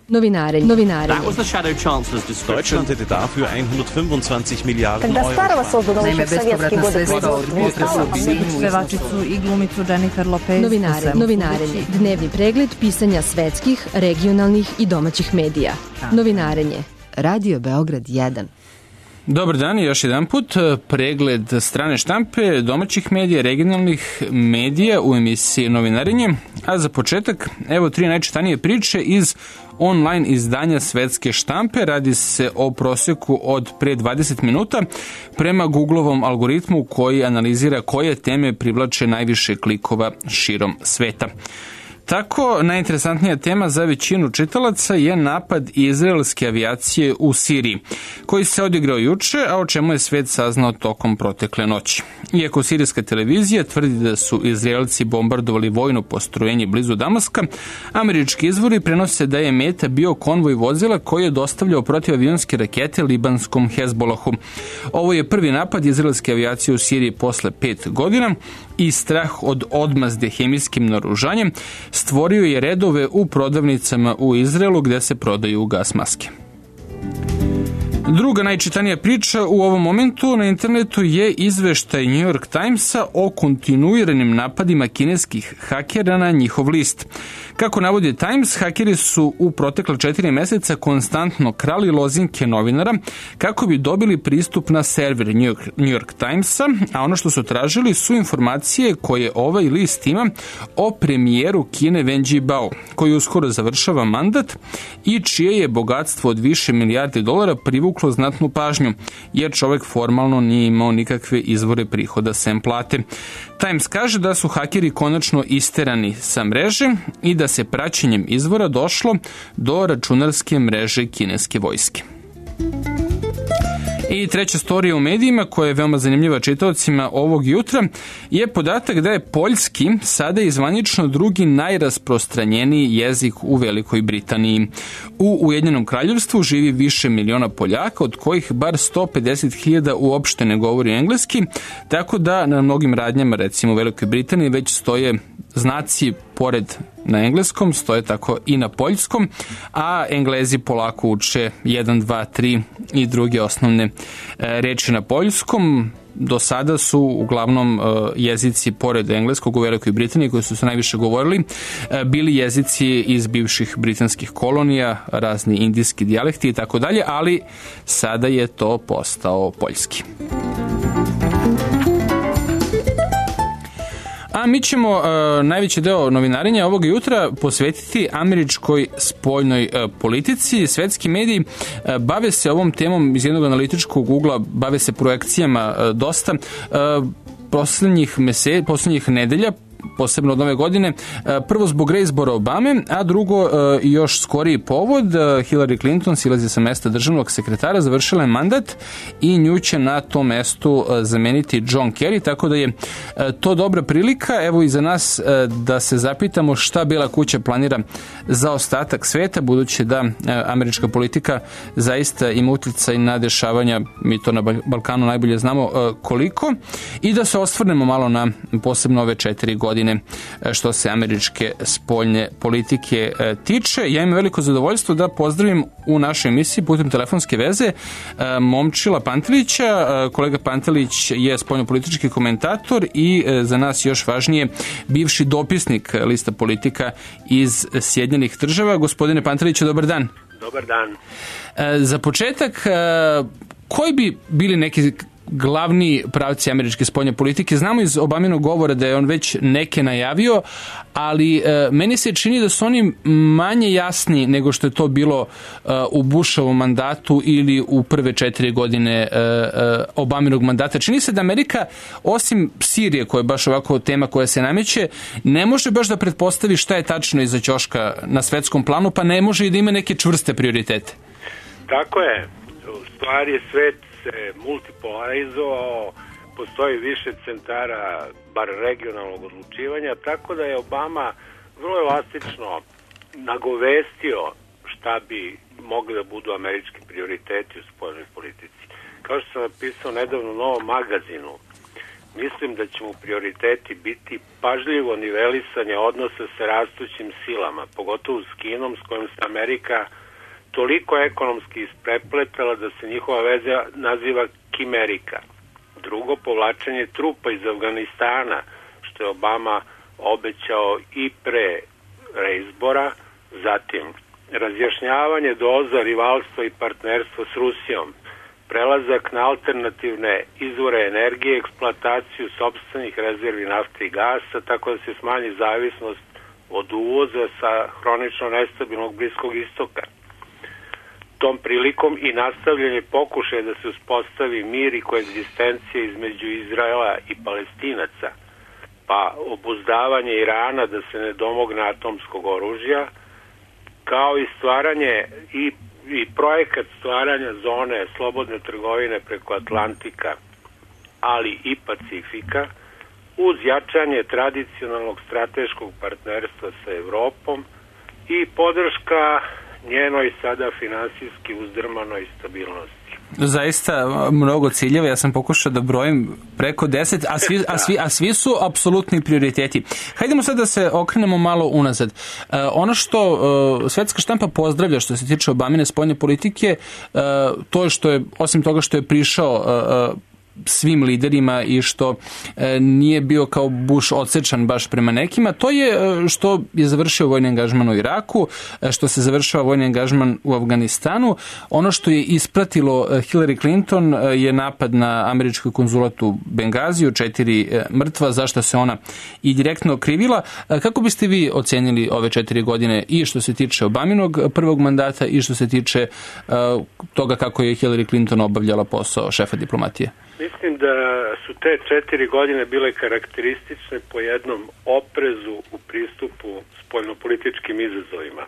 Novinare. That was the Shadow Chancellor's description. Deutschland hätte dafür 125 Milijarden Когда Старого создано еще в советские годы pevačicu i glumicu Jennifer Lopez. Novinarenje. Dnevni pregled pisanja svetskih, regionalnih i domaćih medija. Novinarenje. Radio Beograd 1. Dobar dan i još jedan put. Pregled strane štampe, domaćih medija, regionalnih medija u emisiji Novinarenje. A za početak, evo 3 najčitanije priče iz online izdanja svetske štampe. Radi se o prosjeku od pre 20 minuta prema Googleovom algoritmu koji analizira koje teme privlače najviše klikova širom sveta. Tako, najinteresantnija tema za većinu čitalaca je napad izraelske avijacije u Siriji, koji se odigrao juče, a o čemu je svet saznao tokom protekle noći. Iako sirijska televizija tvrdi da su Izraelci bombardovali vojno postrojenje blizu Damaska, američki izvori prenose da je meta bio konvoj vozila koji je dostavljao protivavionske rakete libanskom Hezbolahu. Ovo je prvi napad izraelske avijacije u Siriji posle 5 godina i strah od odmazde hemijskim naoružanjem stvorio je redove u prodavnicama u Izraelu gde se prodaju gas maske. Druga najčitanija priča u ovom momentu na internetu je izveštaj New York Timesa o kontinuiranim napadima kineskih hakera na njihov list. Kako navodi Times, hakeri su u protekla 4 meseca konstantno krali lozinke novinara kako bi dobili pristup na server New York Timesa, a ono što su tražili su informacije koje ovaj list ima o premijeru Kine Wen Jiabao, koji uskoro završava mandat i čije je bogatstvo od više milijardi dolara privuklo znatnu pažnju, jer čovek formalno nije imao nikakve izvore prihoda sem plate. Times kaže da su hakeri konačno isterani sa mreže i da se praćenjem izvora došlo do računarske mreže kineske vojske. I treća storija u medijima, koja je veoma zanimljiva čitaocima ovog jutra, je podatak da je poljski sada zvanično drugi najrasprostranjeniji jezik u Velikoj Britaniji. U Ujedinjenom kraljevstvu živi više miliona Poljaka, od kojih bar 150.000 uopšte ne govori engleski, tako da na mnogim radnjama, recimo u Velikoj Britaniji, već stoje znaci pored na engleskom, stoje tako i na poljskom, a Englezi polako uče 1, 2, 3 i druge osnovne reči na poljskom. Do sada su uglavnom jezici pored engleskog u Velikoj Britaniji, koji su se najviše govorili, bili jezici iz bivših britanskih kolonija, razni indijski dijalekti i tako dalje, ali sada je to postao poljski. A mi ćemo najveći deo novinarenja ovog jutra posvetiti američkoj spoljnoj politici. Svetski mediji bave se ovom temom iz jednog analitičkog ugla, bave se projekcijama dosta. Poslednjih nedelja, posebno od nove godine, prvo zbog reizbora Obame, a drugo još skoriji povod, Hillary Clinton silazi sa mesta državnog sekretara, završila je mandat i nju će na tom mestu zameniti John Kerry, tako da je to dobra prilika, evo i za nas, da se zapitamo šta Bela kuća planira za ostatak sveta, budući da američka politika zaista ima uticaj na dešavanja, mi to na Balkanu najbolje znamo koliko, i da se osvrnemo malo na posebno ove 4 godine što se američke spoljne politike tiče. Ja imam veliko zadovoljstvo da pozdravim u našoj emisiji putem telefonske veze Momčila Pantelića. Kolega Pantelić je spoljnopolitički komentator i za nas još važnije bivši dopisnik lista politika iz Sjedinjenih Država. Gospodine Panteliću, dobar dan. Dobar dan. Za početak, koji bi bili neki glavni pravci američke spoljne politike? Znamo iz Obaminog govora da je on već neke najavio, ali meni se čini da su oni manje jasni nego što je to bilo u Bushovom mandatu ili u prve 4 godine Obaminog mandata. Čini se da Amerika, osim Sirije, koja je baš ovako tema koja se nameće, ne može baš da pretpostavi šta je tačno iza ćoška na svetskom planu, pa ne može i da ima neke čvrste prioritete. Tako je. U stvari svet se multipolarizovao, postoji više centara, bar regionalnog odlučivanja, tako da je Obama vrlo elastično nagovestio šta bi mogli da budu američki prioriteti u spoljnoj politici. Kao što sam napisao nedavno u Novom magazinu, mislim da će mu prioriteti biti pažljivo nivelisanje odnosa sa rastućim silama, pogotovo s Kinom, s kojom se Amerika toliko ekonomski isprepletala da se njihova veza naziva Kimerika. Drugo, povlačenje trupa iz Afganistana, što je Obama obećao i pre reizbora, zatim razjašnjavanje doza rivalstva i partnerstva s Rusijom, prelazak na alternativne izvore energije, eksploataciju sopstvenih rezervi nafte i gasa, tako da se smanji zavisnost od uvoza sa hronično nestabilnog Bliskog istoka. Tom prilikom i nastavljanje pokušaja da se uspostavi mir i koegzistencija između Izraela i Palestinaca, pa obuzdavanje Irana da se ne domogne atomskog oružja, kao i stvaranje i projekat stvaranja zone slobodne trgovine preko Atlantika, ali i Pacifika, uz jačanje tradicionalnog strateškog partnerstva sa Evropom i podrška njenoj sada finansijski uzdrmanoj stabilnosti. Zaista mnogo ciljeva, ja sam pokušao da brojim preko 10, a svi su apsolutni prioriteti. Hajdemo sad da se okrenemo malo unazad. Ono što svetska štampa pozdravlja što se tiče Obamine spoljne politike, to je što je, osim toga što je prišao svim liderima i što nije bio kao Bush odsečan baš prema nekima, to je što je završio vojni angažman u Iraku, što se završava vojni angažman u Afganistanu. Ono što je ispratilo Hillary Clinton je napad na američki konzulat u Bengaziju, 4 mrtva, zašto se ona i direktno krivila. Kako biste vi ocenili ove 4 godine i što se tiče Obaminog prvog mandata i što se tiče toga kako je Hillary Clinton obavljala posao šefa diplomatije? Mislim da su te 4 godine bile karakteristične po jednom oprezu u pristupu spoljnopolitičkim izazovima.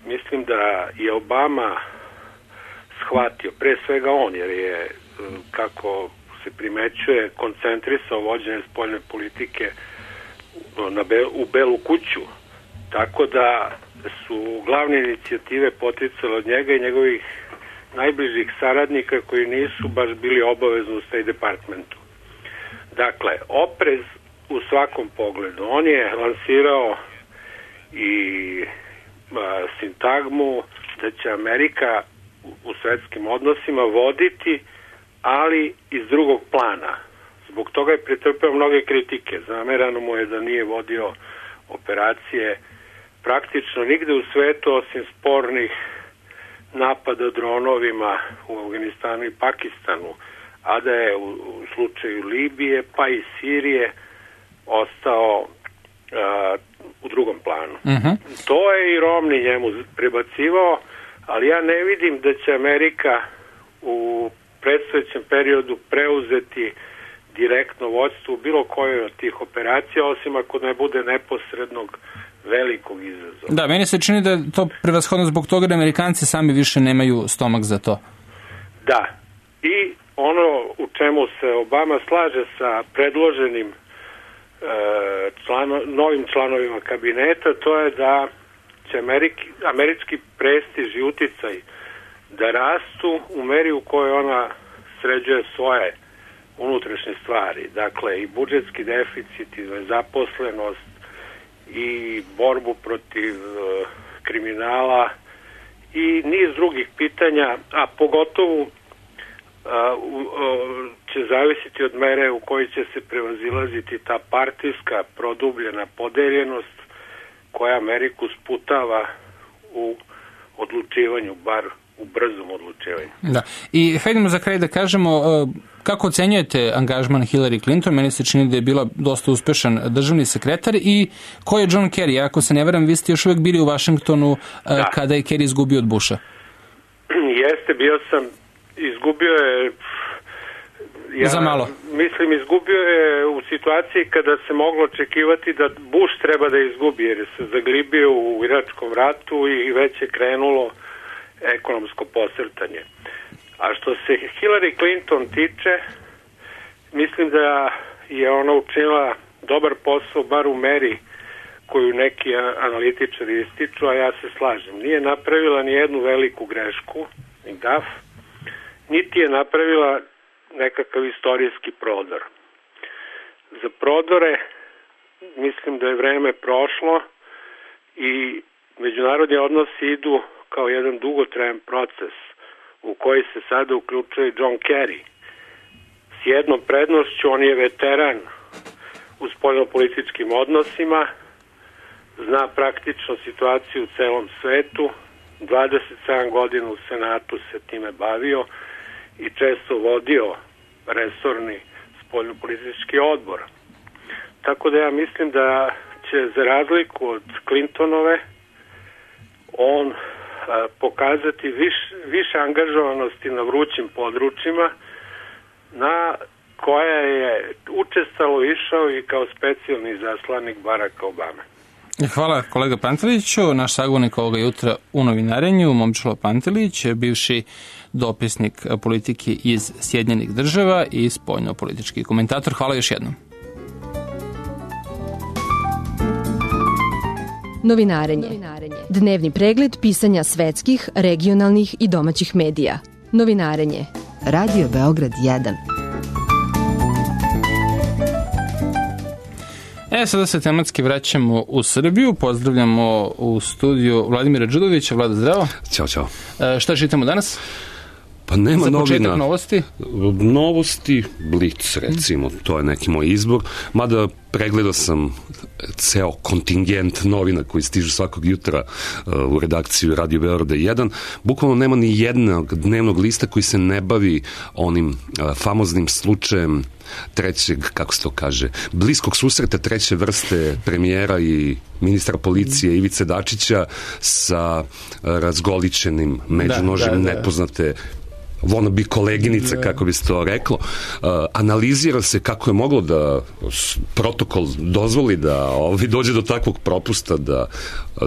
Mislim da je Obama shvatio, pre svega on, jer je, kako se primećuje, koncentrisao vođenje spoljne politike u Belu kuću, tako da su glavne inicijative poticale od njega i njegovih najbližih saradnika koji nisu baš bili obavezni u State Departmentu. Dakle, oprez u svakom pogledu. On je lansirao i sintagmu da će Amerika u svetskim odnosima voditi, ali iz drugog plana. Zbog toga je pretrpeo mnoge kritike. Zamerano mu je da nije vodio operacije praktično nigde u svetu osim spornih napada dronovima u Afganistanu i Pakistanu, a da je u slučaju Libije pa i Sirije ostao u drugom planu. To je i Romney njemu prebacivao, ali ja ne vidim da će Amerika u predstojećem periodu preuzeti direktno vođstvo u bilo kojoj od tih operacija, osim ako ne bude neposrednog velikog izazova. Da, meni se čini da je to prevashodno zbog toga da Amerikanci sami više nemaju stomak za to. Da, i ono u čemu se Obama slaže sa predloženim novim članovima kabineta, to je da će američki prestiž i uticaj da rastu u meri u kojoj ona sređuje svoje unutrašnje stvari. Dakle, i budžetski deficit, i nezaposlenost, i borbu protiv kriminala i niz drugih pitanja, a pogotovo će zavisiti od mere u kojoj će se prevazilaziti ta partijska produbljena podeljenost koja Ameriku sputava u odlučivanju, bar u brzom odlučivanju. Da. I hajdemo za kraj da kažemo kako ocenjujete angažman Hillary Clinton? Meni se čini da je bila dosta uspešan državni sekretar i ko je John Kerry? Ako se ne varam, vi ste još uvek bili u Vašingtonu kada je Kerry izgubio od Busha. Jeste, bio sam, izgubio je za malo. Mislim, izgubio je u situaciji kada se moglo očekivati da Bush treba da izgubi, jer se zaglibio u Iračkom ratu i već je krenulo ekonomsko posrtanje. A što se Hillary Clinton tiče, mislim da je ona učinila dobar posao, bar u meri koju neki analitičari ističu, a ja se slažem. Nije napravila ni jednu veliku grešku, ni gaf, niti je napravila nekakav istorijski prodor. Za prodore mislim da je vreme prošlo i međunarodni odnosi idu kao jedan dugotrajan proces u koji se sada uključuje John Kerry. S jednom prednošću, on je veteran u spoljnopolitičkim odnosima, zna praktično situaciju u celom svetu, 27 godina u Senatu se time bavio i često vodio resorni spoljnopolitički odbor. Tako da ja mislim da će za razliku od Clintonove on pokazati više angažovanosti na vrućim područjima na koja je učestalo išao i kao specijalni zaslanik Baracka Obame. Hvala kolega Panteliću. Naš sagovornik ovoga jutra u novinarenju, Momčilo Pantelić, bivši dopisnik politike iz Sjedinjenih Država i spoljnopolitički komentator. Hvala još jednom. Novinarenje. Dnevni pregled pisanja svetskih, regionalnih i domaćih medija. Novinarenje. Radio Beograd 1. Sada se tematski vraćamo u Srbiju. Pozdravljamo u studiju Vladimira Đudovića. Vlada, zdravo. Ćao, čao. Šta čitamo danas? Pa nema novina. Za početak novosti? Novosti, Blic, recimo, to je neki moj izbor. Mada pregledao sam ceo kontingent novina koji stižu svakog jutra u redakciju Radio Beograda 1. Bukvalno nema ni jednog dnevnog lista koji se ne bavi onim famoznim slučajem trećeg, kako se to kaže, bliskog susreta treće vrste premijera i ministra policije Ivice Dačića sa razgoličenim međunožem nepoznate wannabe koleginice, kako bi se to reklo. Analizira se kako je moglo da protokol dozvoli da dođe do takvog propusta, da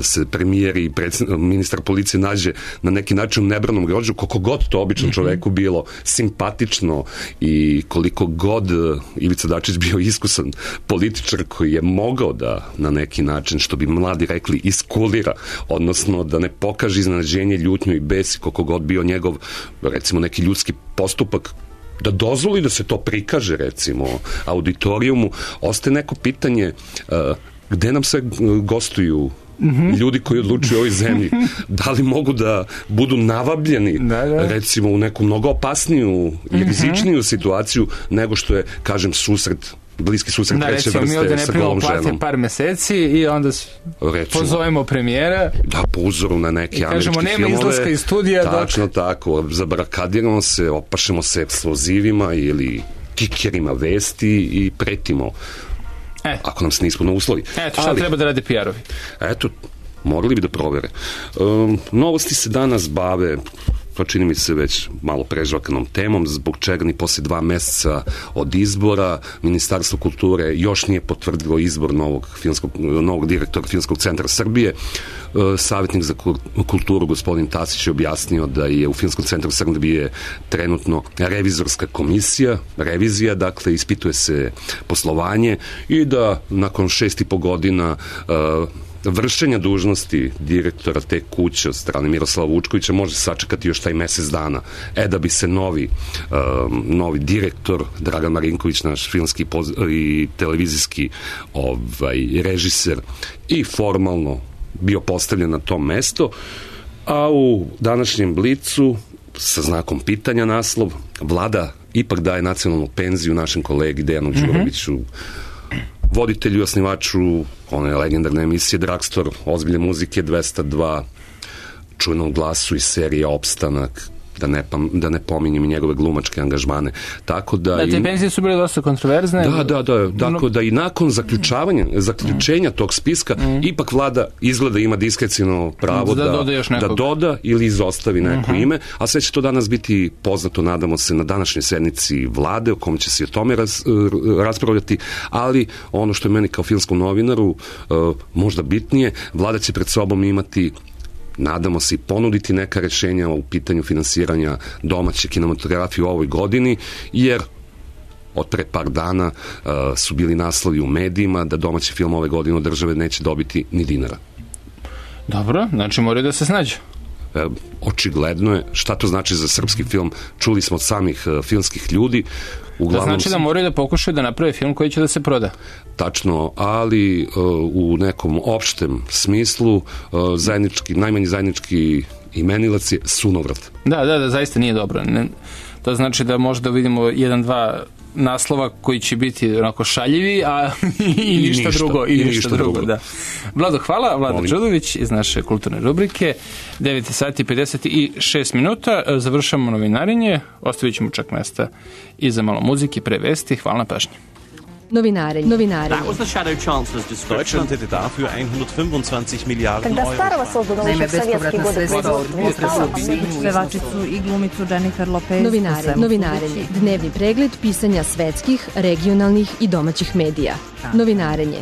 se premijer i ministar policije nađe na neki način u nebranom grožđu, koliko god to običnom čoveku bilo simpatično i koliko god Ivica Dačić bio iskusan političar koji je mogao da na neki način, što bi mladi rekli, iskulira, odnosno da ne pokaže iznenađenje, ljutnju i bes, koliko god bio njegov, recimo, neki ljudski postupak, da dozvoli da se to prikaže, recimo, auditorijumu. Ostaje neko pitanje gde nam se gostuju ljudi koji odlučuju o ovoj zemlji. Da li mogu da budu navabljeni, recimo, u neku mnogo opasniju i rizičniju situaciju nego što je, kažem, bliski susret treće vrste sa golom ženom. Da, recimo, mi ovde ne primamo plate par meseci i onda pozovemo premijera. Da, po uzoru na neke američke filmove. I kažemo, nema izlaska iz studija. Tačno tako, zabarakadiramo se, opašemo se eksplozivima ili kikerima vesti i pretimo. Ako nam se ne ispuno uslovi. Šta treba da rade PR-ovi? Morali bi da provere. Novosti se danas bave, to čini mi se već malo prežvakanom temom, zbog čega ni posle 2 meseca od izbora Ministarstvo kulture još nije potvrdilo izbor novog direktora Filmskog centra Srbije. Savjetnik za kulturu gospodin Tasić je objasnio da je u Filmskom centru Srbije trenutno revizorska komisija, revizija, dakle ispituje se poslovanje i da nakon 6,5 godina vršenja dužnosti direktora te kuće od strane Miroslava Vučkovića može sačekati još taj mesec dana. Da bi se novi direktor Dragan Marinković, naš filmski i televizijski režiser, i formalno bio postavljen na to mesto, a u današnjem Blicu sa znakom pitanja naslov: Vlada ipak daje nacionalnu penziju našem kolegi Dejanu Đuroviću, voditelju i osnivaču one legendarne emisije Dragstor, ozbiljne muzike 202, čujnom glasu iz serije Opstanak, da ne pominjem i njegove glumačke angažmane. Tako da te penzije su bile dosta kontroverzne. Da. Tako da i nakon zaključenja tog spiska ipak vlada izgleda ima diskreciono pravo da doda ili izostavi neko ime, a sve će to danas biti poznato, nadamo se, na današnjoj sednici vlade, o kom će se o tome raspravljati, ali ono što je meni kao filmskom novinaru možda bitnije, vlada će pred sobom imati, nadamo se, i ponuditi neka rešenja u pitanju finansiranja domaće kinematografije u ovoj godini, jer od pre par dana su bili naslovi u medijima da domaći film ove godine od države neće dobiti ni dinara. Dobro, znači moraju da se snađu. Očigledno je. Šta to znači za srpski film? Čuli smo od samih filmskih ljudi. To znači da moraju da pokušaju da naprave film koji će da se proda. Tačno, ali u nekom opštem smislu najmanji zajednički Imenilac je sunovrat. Da, zaista nije dobro. To znači da možda vidimo 1-2 naslova koji će biti onako šaljivi, a i ništa drugo. Da. Vlado, hvala. Vlado Đudović iz naše kulturne rubrike. 9 sati 56 minuta. Završamo novinarenje. Ostavit ćemo čak mesta i za malo muzike, pre vesti. Hvala na pažnji. Novinarenje. That was the Shadow Chancellor's description. Deutschland hätte dafür 125 Milliarden Когда Euro. Старого создано еще в советские годы производства. Pevačicu i glumicu Jennifer Lopez. Novinarenje. Dnevni pregled pisanja svetskih, regionalnih i domaćih medija. Novinarenje.